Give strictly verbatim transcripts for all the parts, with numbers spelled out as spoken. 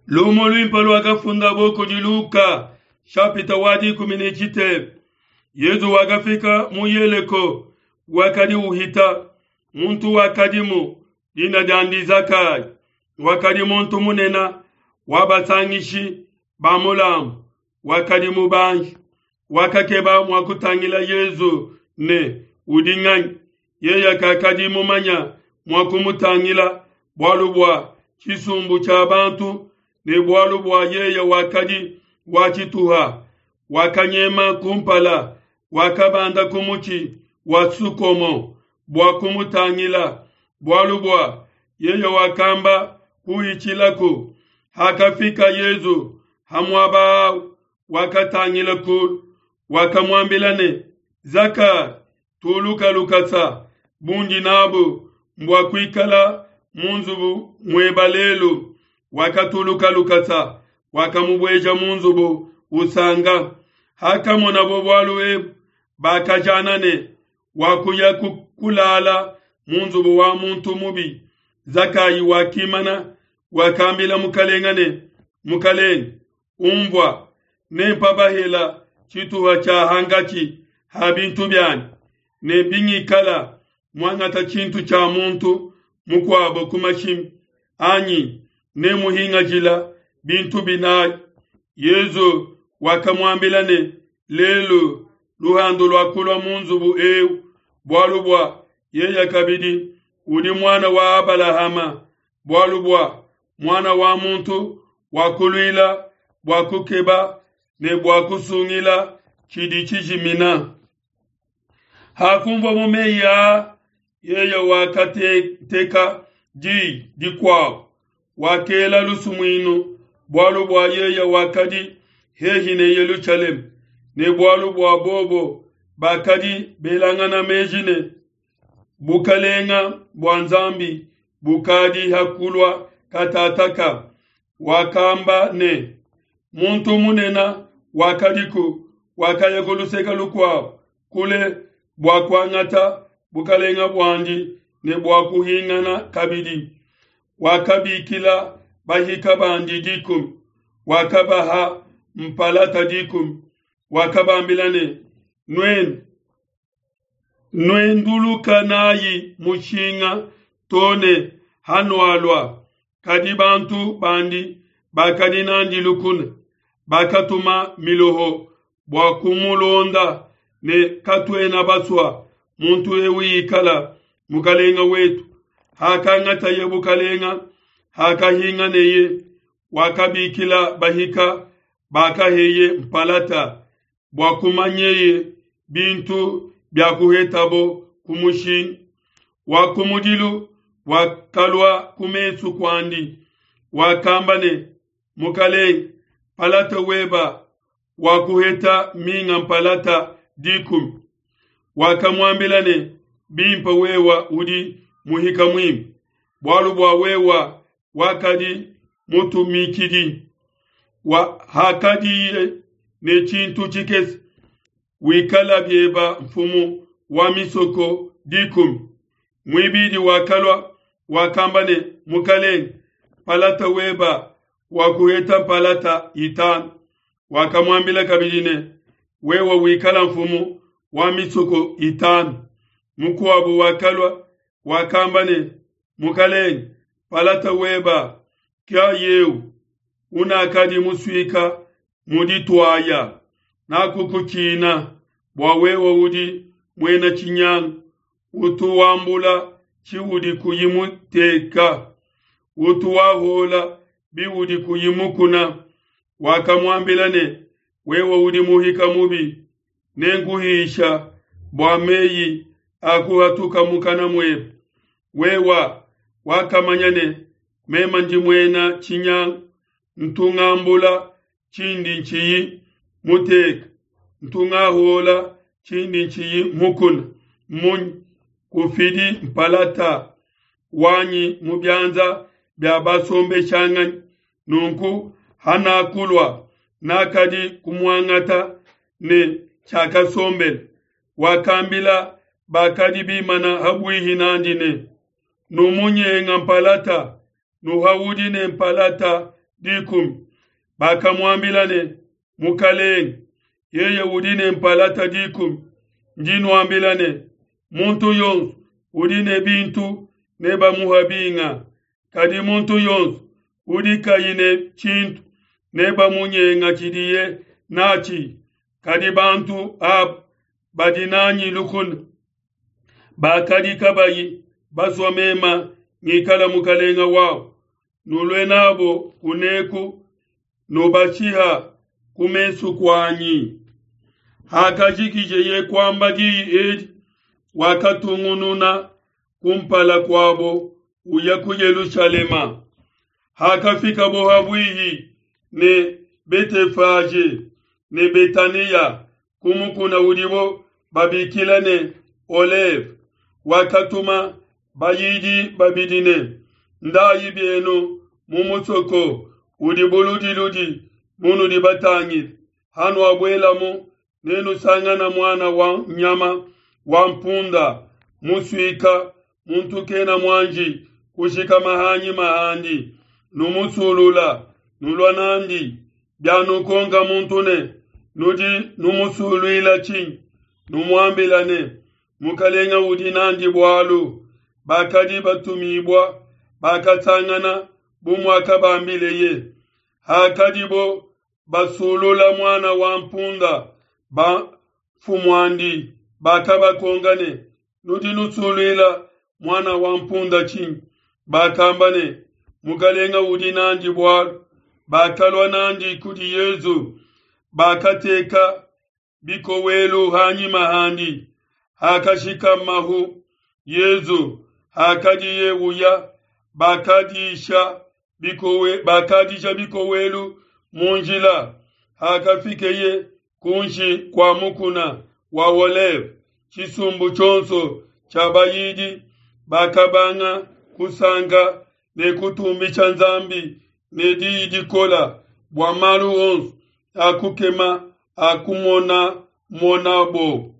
Lumu luimpe luakafundabo kudi Luka shapita wa dikumi ne tshitema. Yezu wakafika mu Yeleko, wakadi uhita. Muntu wakadimu dina diandi Zakayi, wakadi muntu munene wa basangishi ba mulambu, wakadi mubanji. Wakakeba mua kutangila Yezu ne udi nganyi, yeye kakadi mumanya mua kumutangila bualu bua tshisumbu tshia bantu ne bualu bua yeye wakadi wa tshituha. Wakanyema kumpala, wakabanda ku mutshi wa sukomo bua kumutangila, bualu bua yeye wakamba kuhitshilaku. Hakafika Yezu ha muaba au, wakatangila kulu, wakamuambila ne, Zakayi, tuluka lukasa, bundi nabu mbua kuikala mu nzubu mueba lelu. Wakatuluka lukasa, wakamubueja mu nzubu usanga. Hakamonabo bualu ebu, bakajana ne, wakuya kulala mu nzubu wa muntu mubi. Zakayi wakimana, wakambila mukalenga ne, Mukalenge, umvua, nempa bahela tshituha tshia hangatshi ha bintu bianyi, ne bingikala muangata tshintu tshia muntu mukuabo ku mashimi anyi, nemuhingajila bintu binayi. Yezu wakamuambila ne, Lelu luhandu luakulua mu nzubu eu, bualu bua yeye kabidi udi muana wa Abalahama, bualu bua muana wa muntu wakuluila bua kukeba ne bua kusungila tshidi tshijimina. Hakunvua mu meyi aa, yeye wakateka di dikuabo, wakela lusumuinu, bualu bua yeye wakadi hehi ne Yelushalema, ne bualu bua bobo bakadi belangana meji ne, bukalenga bua Nzambi bukadi hakulua katataka. Wakamba ne, muntu munene wakadiku, wakaya ku luseke lukuabo kule bua kuangata bukalenga buandi ne bua kuhingana kabidi. Wakabikila bahika bandi dikumi, wakabaha mpalata dikumi, wakabambila ne, Nuenu nuenduluka nayi mushinga to ne hanualua. Kadi bantu bandi bakadi nandi lukuna, bakatuma miloho bua kumulonda ne, katuena basua muntu eu ikala mukalenga wetu. Hakangataye bukalenga, hakahinganeye, wakabikila bahika bakaheye mpalata bua kumanyeye bintu bia kuhetabo ku mushinga. Wa kumudilu wakalua ku mesu kuandi, wakamba ne, Mukalenge, palata weba wakuheta minga mpalata dikumi. Wakamuambila ne, Bimpe, wewa udi muhika muimpe, bualu bua wewa wakadi mutumikidi wa hakadiye ne tshintu tshikese, wikala bieba mfumu wa misoko dikumi. Muibidi wakalua, wakamba ne, Mukalenge, palata weba wakuheta mpalata itanu. Wakamuambila kabidi ne, wewa wikala mfumu wa misoko itanu. Mukuabo wakalua, wakamba ne, Mukalenge, palata weba kya yeu unakadi musuika mu dituaya, nakukutshina bua wewe udi muena tshinyanga, utu wambula tshiudi kuyi muteka, utu wahola biudi kuyi mukuna. Wakamuambila ne, wewe udi muhika mubi, nenkuhisha bua meyi akuhatuka mukana muebe. Wewa wakamanya ne, mema ndi muena tshinyanga, ntungambula tshindi ntshiyi muteka, ntungahola tshindi ntshiyi mukuna. Munyi kufidi mpalata wanyi mu bianza bia basombeshanganyi? Nunku hanakulua nakadi kumuangata ne tshiakasombela. Wakambila bakadi bimana habuihi nandi ne, numunyenga mpalata, nuhaudi ne mpalata dikumi. Bakamuambila ne, Mukalenge, yeye udi ne mpalata dikumi. Ndi nuambila ne, muntu yonso udi ne bintu nebamuha binga, kadi muntu yonso udi kayi ne tshintu nebamunyenga tshidiye natshi. Kadi bantu aba badi nanyi lukuna, bakadi kabayi basua mema ngikala mukalenga wabo, nulue nabo kuneku, nubashiha ku mesu kuanyi. Hakajikijeye kuamba diyi edi, wakatungununa kumpala kuabo uya ku Yelushalema. Hakafikabo habuihi ne Betefaje ne Betania ku mukuna udibo babikila ne Oleve, wakatuma bayidi babidi ne, Ndayi bienu mu musoko udi buludiludi munudi batangile, hanuabuelamu nenusangana muana wa nyama wa mpunda musuika, muntu kena muanji kushikama hanyima handi, numusulula, nulua nandi. Bianukonka muntu ne, Nudi numusuluila tshinyi? Numuambila ne, Mukalenga udi nandi bualu. Bakadi batumibua bakasangana bu muakabambileye. Hakadibo basulula muana wa mpunda, bamfumuandi bakabakonka ne, Nudi nusuluila muana wa mpunda tshinyi? Bakamba ne, Mukalenga udi nandi bualu. Bakalua nandi kudi Yesu, bakateka bikowelu hanyima handi, hakashikamahu Yesu. Hakadiye uya, bakadisha bikowe bakadisha bikowelu mu njila. Hakafikeye kunshi kua mukuna wa Oleve, tshisumbu tshionso tshia bayidi bakabanga kusanka ne kutumbisha Nzambi ne diyi dikola bua malu onso akukema akumona monabo.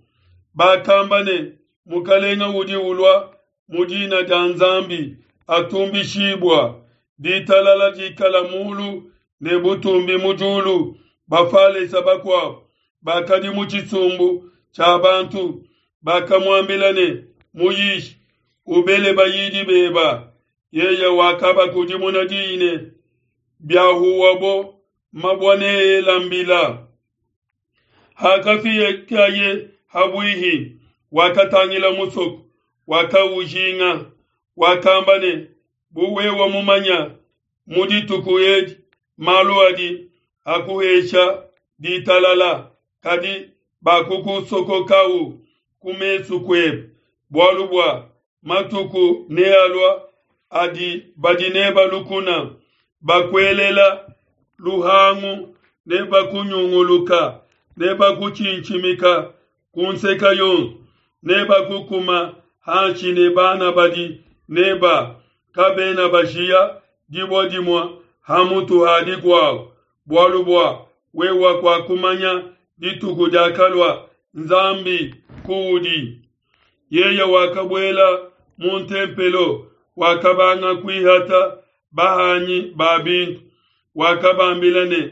Bakamba ne, Mukalenga udi ulua mu dina dia Nzambi atumbishibua, ditalala dikala mulu ne butumbi mu diulu. Bafalesa bakuabo bakadi mu tshisumbu tshia bantu bakamuambila ne, Muyishi, ubele bayidi beba. Yeye wakabakudimuna diyi ne, Biahuwabo mabua neela mbila. Hakafikaye habuihi, wakatangila musoko, wakaujinga, wakamba ne, Bu wewe mumanya mu dituku edi malu adi akuhesha ditalala, kadi bakukusokokau ku mesu kuebe. Bualu bua matuku nealua adi badi neba lukuna bakuelela luhangu, ne bakunyunguluka, ne bakutshintshimika ku nseke yonso, ne bakukuma hanshi ne bana badi neba, kabena bashiya dibue dimue ha mutu ha dikuabo, bualu bua wewe kuakumanya dituku diakalua Nzambi kuudi. Yeye wakabuela mu ntempelo, wakabanga kuihata bahanyi ba bintu. Wakabambila ne,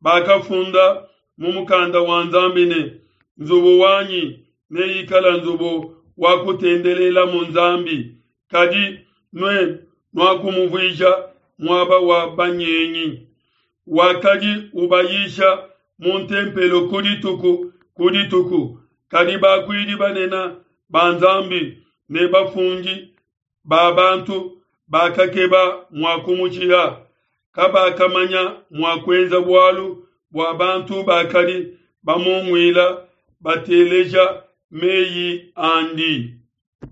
Bakafunda mu mukanda wa Nzambi ne, Nzubu wanyi neikala nzubu wa kutendelelamu Nzambi, kadi nuenu nuakumuvuija muaba wa banyengi. Wakadi ubayisha mu ntempelo ku dituku ku dituku, kadi bakuidi banene ba Nzambi ne bafundi ba bantu bakakeba mua kumushiha. Kabakamanya mua kuenza bualu bua bantu bakadi bamunguila bateleja meyi andi.